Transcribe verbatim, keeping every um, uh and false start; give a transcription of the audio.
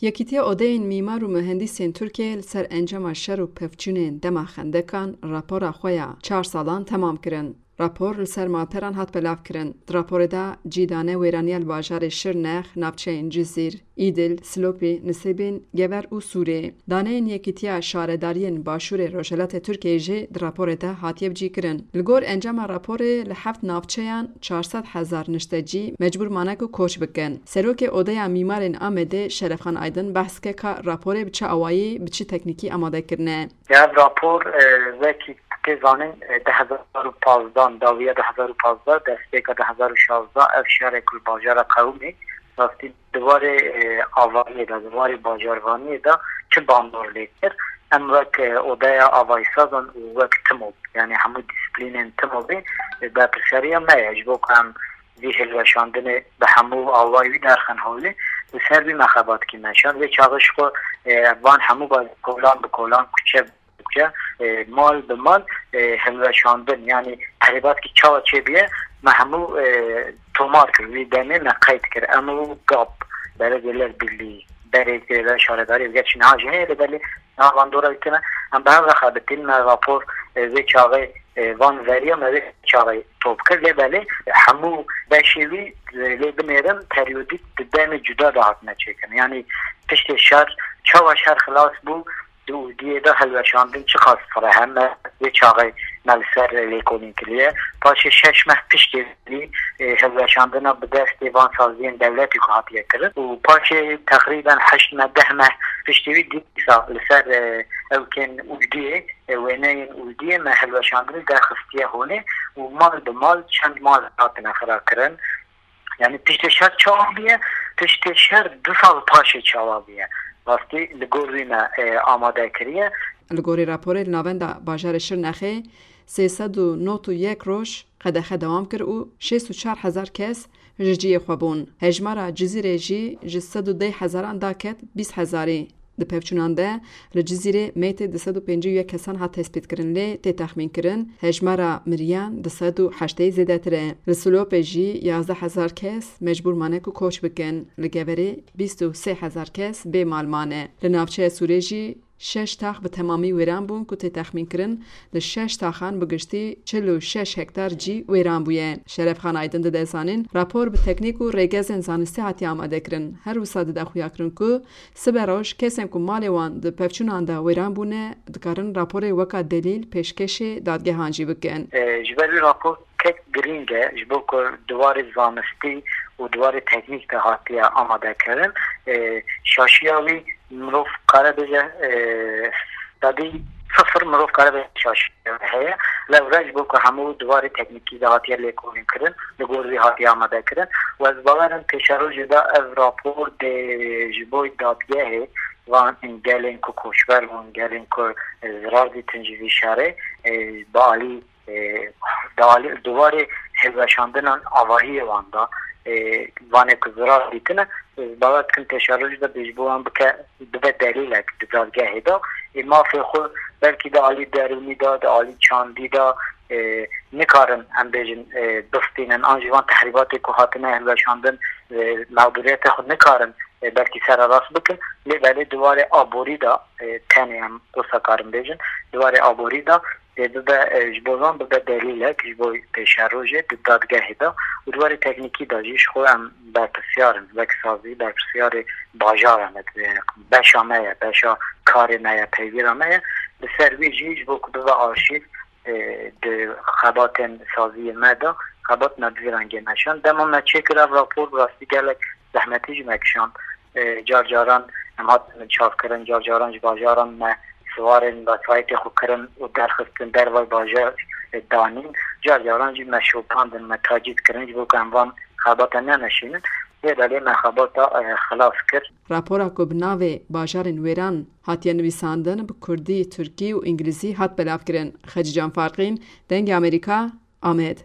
Yekîtiya Odeyên Mîmar û Muhendîsên Tirkiyeyê li ser encama şer û pevçûnên dema xendekan rapora xwe ya çar salan temam kirin. Rapor li ser malperan hat belavkirin. Di raporê de cî dane wêraniya li bajarê Şirnex, navçeyên Cizîr, Îdil, Silopî, Nisêbîn, Gever û Sûrê. Daneyên Yekîtiya Şaredariyên Başûrê Rojhilatê Tirkiyeyê jî di raporê de hatiye bicîkirin. Li gor encama raporê li heft navçeyan çar sed hezar niştecî mecbûr mane ku koç bikin. Serokê Odeya Mîmarên Amedê Şerefxan Aydin behs dike ka raporê bi çi awayî, bi çi teknîkî amade kirine. Ev rapor, e, wekî tê zanîn, e, du hezar û pazdeh, dawiya du hezar û pazdeh, destpêka du hezar û şazdeh, ev şerê ku li bajara qewimê, rastî di warê, e, avahiyê de, di warê bajarvaniyê de çi bandor lê kir. Em wek, e, odeya avahîsazan û wek TMOB, yanî hemû dîsîplînên TMOBê, e, berpirsiyariya me ye. Ji bo ku em vî hilweşandinê bi hemû awayî wî derxin holê, li ser vî me xebat kî meşand. Vê çaxê ji xwe, e, van hemû ba-, kolan bi kolan, kuçe bi kuçe, e, mal bi mal, e, hilweşandin, yanî qerîbatkî çawa çêbûye, me hemû, e, tomar kir, wî demê me qeyd kir. Em û GAP, Belediyeler Birliği, berê Şaredarî, gerçî niha jî heye, lê belê niha bandora wî tune. Em bi hev re xebitîn, me rapor, e, vê çaxê, e, van veriya me vê çaxê top kir, lê belê hemû beşê wî, e, lê binêrin, periyodîk di demê cuda de hatine çêkirin. Yanî piştê şer, çawa şer xilas bû, di ûdiyê de hilweşandin çiqas fireh e, me vê çaxê me li ser lêkolîn kiriye. Paşê şeş meh piştê wî, e, hilweşandina bi destê van saziyên dewletî ku hatiye kirin û paşê teqrîben heşt meh, deh meh piştê wî dîsa li ser, e, ewkên ûdiyê, e, wêneyên ûdiyê me hilweşandinê derxistiye holê û mal bi mal çend mal hatine xirakirin. Yanî piştê şer çawa bûye, piştê şer du sal paşê çawa bûye. Rastî li gor wî me, e, amade kiriye. Li gorî raporê li navenda bajarê Şirnexê sê sed û nod û yek roj qedexe dewam kir û şêst û çar hezar kes ji cihê xwe bûn. Hejmara Cizîrê jî ji sed û deh hezaran daket bîst hezarî. Di pevçûnan de li Cizîrê meytê du sed û pêncî û yek kesan hat tespîtkirin, lê tê texmînkirin hejmara miriyan du sed û heştê zêdetir e. Li Silopê jî yazdeh hezar kes mecbûr mane ku koç bikin. Li Geverê bîst û sê hezar kes bê mal mane. Li navçeya Sûrê jî şeş tax bi temamî wêran bûn ku tê texmînkirin li şeş taxan bi giştî çil û şeş hektar cî wêran bûye. Şerefxan Aydin dide zanîn, rapor bi teknîk û rêgezên zanistî hatiye amadekirin. Her wisa dide xuyakirin ku sibe roj kesên ku malê wan di pevçûnan de wêran bûne, dikarin raporê weka delîl pêşkêşê dadgehan jî bikin. E, ji ber wî rapor kek girîng e, ji bo ku di warê zanistî û di warê teknîk de hatiye amadekirin. E, şaşiya wî mirov kare bêje, e, sedî sifir mirov kare bêje şaşiya wî heye. Lewre ji bo ku hemû di warê teknîkî de hatiye lêkolînkirin, li gor wî hatiye amadekirin. Û ez bawer im pêşerojê de ev rapor dê ji bo dadgehê van gelên ku koçber bûn, gelên ku zirar dîtin ji vî şerê, e, bi alî, e, di alî, di warê hilweşandinan avahiyê wan de, e, vanê ku zirar dîtine, ez bawer dikim pêşerojê de bê ji bo wan bike, bibe delîlek di dadgehê de. Ê mafê xwe belkî di alî derûnî de, di alî çandî de, e, nikarin em bêjin, e, bistînin, an jî van tehrîbatê ku hatine hilweşandin, e, mexdûriyetê xwe nikarin, e, belkî sererast bikin. Lê belê di warê aborî de, e, tenê em wisa karin bêjin, di warê aborî de, e, bibe, e, ji bo van bibe delîlek ji bo pêşerojê di dadgehê de û di warê teknîkî de jî ji xwe em berpirsyar in, wek sazî berpirsyarê bajara me, e, beşa me ye, beşa karê me ye, peywîra me ye. Li ser wî jî ji bo ku bibe arşîv, e, di xebatên saziyê me de, xebat me bi vî rengê meşand. Dema me çêkir ev rapor, bi rastî gelek zehmetî ji me kişand. E, car caran em hatin çavkirin, car caran ji bajaran me siwarên wesayîtê xwe kirin û derxistin dervay bajar, e, danîn. Car caran jî me şopandin, me tacîz kirin ji bo ku em van xebata nemeşînin. Lê belê me xebata, e, xilas kir. Rapora ku bi navê Bajarên Wêran hatiye nivîsandin, bi kurdî, tirkî û îngilîzî hat belavkirin. Xecîcan Farqîn, Dengê Amerîka, Amed.